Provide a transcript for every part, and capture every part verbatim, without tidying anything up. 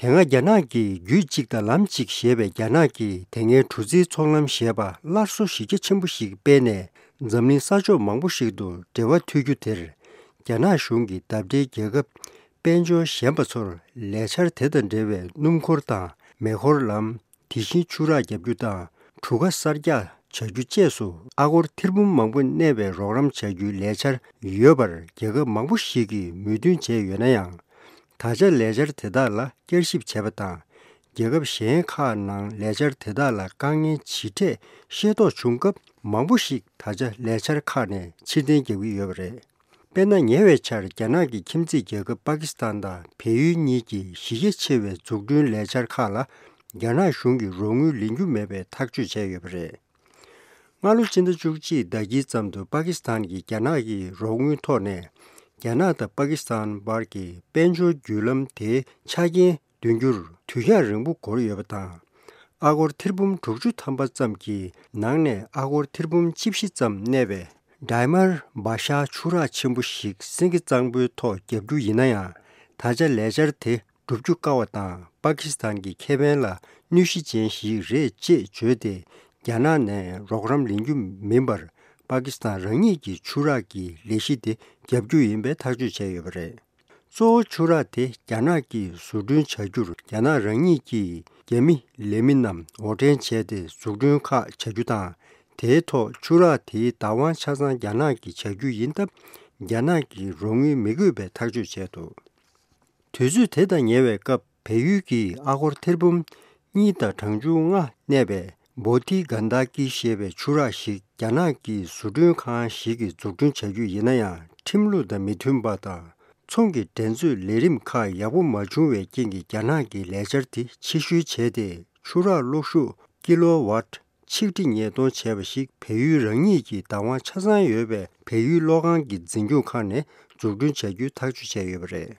དེ་སྔ་རྒྱ་ནག་གི་རྒྱུད་གཅིག་དང་ལམ་གཅིག་ཞེས་པའི་རྒྱ་ནག་གི་དེ་སྔའི་གྲུ་རྩིའི་ཚོང་ལམ་ཞེས་པ་སླར་གསོ་གཞི་རྒྱ་ཆེན་པོ་ཞིག་སྤེལ་ནས། འཛམ་གླིང་ས་ཕྱོགས་མང་པོ་ཞིག་ཏུ་འབྲེལ་བ་མཐུད་རྒྱུ་དེར། རྒྱ་ནག་གཞུང་གིས་ཟླ་སྒྲིལ་རྒྱལ་ཁབ་དཔལ་འབྱོར་གཞན་པ་ཚོར་ལས་འཆར་དེ་དང་འབྲེལ་བའི་སྣུམ་འཁོར་དང་མེ་འཁོར་ལམ། དེ་བཞིན་ཆུ་རགས་བརྒྱབ་རྒྱུ་དང་གྲུ་ཁ་གསར་རྒྱག་བྱ་རྒྱུ་བཅས་སུ་ཨ་སྒོར་ཐེར་འབུམ་མང་པོ་གནས་པའི་རོགས་རམ་བྱ་རྒྱུའི་ལས་འཆར་ཡོད་པར་རྒྱལ་ཁབ་མང་པོ་ཞིག་གིས་མོས་མཐུན་བྱས་ཡོད་ན་ཡང་། ད་ཆ་ལས་འཆར་དེ་དག་ལ་བསྐྱར་ཞིབ་བྱས་པ་དང་། རྒྱལ་ཁབ་གཞན་ཁག་ནང་ལས་འཆར་དེ་དག་ལ་དཀའ་ངལ་ཇི་འཕྲད་ཤེས་རྟོགས་བྱུང་སྐབས། མང་པོ་ཞིག་ད་ཆ་ལས་འཆར་ཁག་ནས་ཕྱིར་འཐེན་རྒྱག་གི་ཡོད་པ་རེད། དཔེར་ན། ཉེ་བའི་ཆར་རྒྱ་ནག་གི་ཁྱིམ་མཚེས་རྒྱལ་ཁབ་པ་ཀི་སི་ཐན་དང་བལ་ཡུལ་གཉིས་ཀྱིས་གཞི་རྒྱ་ཆེ་བའི་འཛུགས་སྐྲུན་ལས་འཆར་ཁག་ལ་རྒྱ་ནག་གཞུང་གིས་རོགས་དངུལ་ལེན་རྒྱུ་མེད་པའི་ཐག་གཅོད་བྱས་ཡོད་པ་རེད། སྔ་ལོ་སྤྱི་ཟླ་བཅུ་གཅིག་ཟླ་དཀྱིལ་ཙམ་དུ་པ་ཀི་སི་ཐན་གྱིས་རྒྱ་ནག་གི་རོགས་དངུལ་ཐོག་ནས། རྒྱ་ནག་དང་པ་ཀི་སི་ཐན་བར་གྱི་དཔལ་འབྱོར་བརྒྱུད་ལམ་དེའི་ཆ་རྐྱེན་འདོན་རྒྱུར་དུས་ཡུན་རིང་པོ་འགོར་ཡོད་པ་དང་། ཨ་སྒོར་ཐེར་འབུམ་དྲུག་ཅུ་ཐམ་པ་ཙམ་གྱི་ནང་ནས་ཨ་སྒོར་ཐེར་འབུམ་བཅུ་བཞི་ཙམ་གནས་པའི་ཌའི་མར་བ་ཤ་ཆུ་རགས་ཆེན་པོ་ཞིག་སེང་གེ་གཙང་པོའི་ཐོག་བརྒྱབ་རྒྱུ་ཡིན་ན་ཡང་། ད་ཆ་ལས་འཆར་དེ་སྒྲུབ་རྒྱུ་དཀའ་བ་དང་། པ་ཀི་སི་ཐན་གྱི་ཁེ་ཕན་ལ་གནོད་གཞི་ཅན་ཞིག་རེད་ཅེས་བརྗོད་དེ། རྒྱ་ནག་ནས་རོགས་རམ་ལེན་རྒྱུ་མིན་པར། པ་ཀི་སི་ཐན་རང་ཉིད་ཀྱི་ཆུ་རགས་ཀྱི་ལས་གཞི་དེ་བརྒྱབ་རྒྱུ་ཡིན་པའི་ཐག་གཅོད་བྱས་ཡོད་པ་རེད། གཙོ་བོ་ཆུ་རགས་དེ་རྒྱ་ནག་གིས་བཟོ་སྐྲུན་བྱ་རྒྱུར་རྒྱ་ནག་རང་ཉིད་ཀྱིས་རྒྱ་མི་ལས་མི་རྣམས་འོར་འདྲེན་བྱས་ཏེ་འཛུགས་སྐྲུན་ཁག་བྱ་རྒྱུ་དང་། དེའི་ཐོག་ཆུ་རགས་དེའི་བདག་དབང་ཆ་ཚང་རྒྱ་ནག་གིས་བྱ་རྒྱུ་ཡིན་སྟབས། རྒྱ་ནག་གིས་རོགས་དངུལ་མི་དགོས་པའི་ཐག་གཅོད་བྱས་འདུག་དུས་ཚོད་དེ་དང་ཉེ་བའི་སྐབས། བལ་ཡུལ་གྱིས་ཨ་སྒོར་ཐེར་འབུམ་གཉིས་དང་གྲངས་ཆུང་ལྔ་གནས་པའི་བོ་ཏི་གན་ད་ཀི་ཞེས་པའི་ཆུ་རགས་ཤིག་རྒྱ་ནག་གི་བཟོ་སྐྲུན་ཁང་ཞིག་གིས་འཛུགས་སྐྲུན་བྱ་རྒྱུ་ཡིན་ན་ཡང་། ཁྲིམས་ལུགས་དང་མི་མཐུན་པ་དང་། ཚོང་གི་འགྲན་རྩོད་ལས་རིམ་ཁག་ཡག་པོ་མ་བྱུང་བའི་རྐྱེན་གྱིས། རྒྱ་ནག་གིས་ལས་འཆར་དེ་ཕྱིར་བཤོལ་བྱས་ཏེ། ཆུ་རགས་གློག་ཤུགས་ཀི་ལོ་ཝཊ་ཆིག་ཁྲི་ཉེར་སྟོང་བྱས་པ་ཞིག་བལ་ཡུལ་རང་ཉིད་ཀྱི་བདག་དབང་ཆ་ཚང་ཡོད་པའི་བལ་ཡུལ་གློག་ཁང་གི་འཛིན་སྐྱོང་ཁང་ནས་འཛུགས་སྐྲུན་བྱ་རྒྱུའི་ཐག་གཅོད་བྱས་ཡོད་པ་རེད།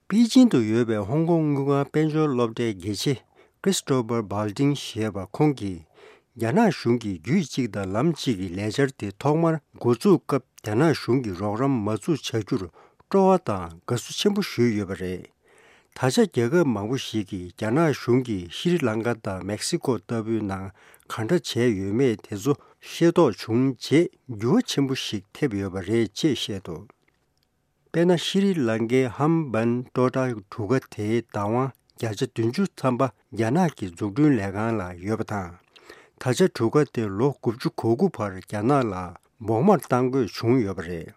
པེ་ཅིང་དུ་ཡོད་པའི་ཧོང་ཀོང་དངུལ་ཁང་དཔལ་འབྱོར་སློབ་གྲྭའི་དགེ་ཆེ་Christopher Balding་ཞེས་པ་ཁོང་གིས། རྒྱ་ནག་གཞུང་གིས་རྒྱུད་གཅིག་དང་ལམ་གཅིག་གི་ལས་འཆར་དེ་ཐོག་མར་འགོ་བཙུགས་སྐབས། རྒྱ་ནག་གཞུང་གིས་རོགས་རམ་མ་བཙུགས་བྱ་རྒྱུར་སྤྲོ་བ་དང་དགའ་བསུ་ཆེན་པོ་ཞུས་ཡོད་པ་རེད། ད་ཆ་རྒྱལ་ཁབ་མང་པོ་ཞིག་གིས་རྒྱ་ནག་གཞུང་གིས་ཤྲི་ལང་ཀ་དང་མེག་སི་ཀོ་ལྟ་བུའི་ནང་ག་འདྲ་བྱས་ཡོད་མེད་དེ་ཚོ་ཤེས་རྟོགས་བྱུང་རྗེས། འགྱུར་བ་ཆེན་པོ་ཞིག་ཐེབས་ཡོད་པ་རེད་ཅེས་བཤད་འདུག་དཔེར་ན། ཤྲི་ལང་ཀའི་ཧམ་བན་ཏོ་ཏྲ་གྲུ་ཁ་དེའི་བདག་དབང་བརྒྱ་ཆ་བདུན་ཅུ་ཐམ་པ་རྒྱ་ནག་གི་འཛུགས་སྐྲུན་ལས་ཁང་ལ་ཡོད་པ་དང་། ད་ཆ་གྲུ་ཁ་དེ་ལོ་དགུ་བཅུ་གོ་དགུ་བར་རྒྱ་ནག་ལ་བོགས་མར་གཏང་དགོས་བྱུང་ཡོད་པ་རེད།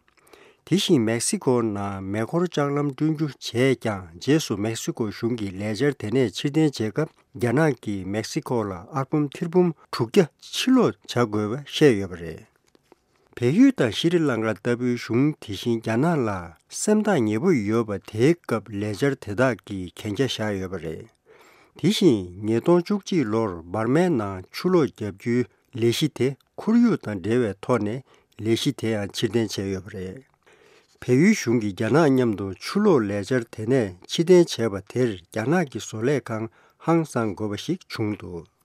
དེ་བཞིན་མེག་སི་ཀོ་ནང་མེ་འཁོར་ལྕགས་ལམ་བསྐྲུན་རྒྱུ་བྱས་ཀྱང་། རྗེས་སུ་མེག་སི་ཀོ་གཞུང་གིས་ལས་འཆར་དེ་ནས་ཕྱིར་འཐེན་བྱེད་སྐབས། རྒྱ་ནག་གིས་མེག་སི་ཀོ་ལ་ཨར་འབུམ་ཐེར་འབུམ་དྲུག་བརྒྱ་ཕྱིར་སློག་བྱ་དགོས་པ་བཤད་ཡོད་པ་རེད། བལ་ཡུལ་དང་ཤྲི་ལང་ཀ་ལྟ་བུའི་གཞུང་དེ་བཞིན་རྒྱ་ནག་ལ་སེམས་ཐག་ཉེ་པོ་ཡོད་པ། དེའི་སྐབས་ལས་འཆར་དེ་དག་གིས་གན་རྒྱ་བཞག་ཡོད་པ་རེད། དེ་བཞིན་ཉིས་སྟོང་བཅུ་གཅིག་ལོར་འབར་མའི་ནང་ཆུ་ལོག་བརྒྱབ་རྒྱུའི་ལས་གཞི་དེ་ཁོར་ཡུག་དང་འབྲེལ་བའི་ཐོག་ནས་ལས་གཞི་དེ་ཡང་ཕྱིར་འཐེན་བྱས་ཡོད་པ་རེད། བལ་ཡུལ་གཞུང་གིས་རྒྱ་ནག་མཉམ་དུ་ཆུ་ལོག་ལས་འཆར་དེ་ནས་ཕྱིར་འཐེན་བྱས་པ་དེར། རྒྱ་ནག་གི་བཟོ་ལས་ཁང་ཧང་སང་དགོས་པ་ཞིག་བྱུང་འདུག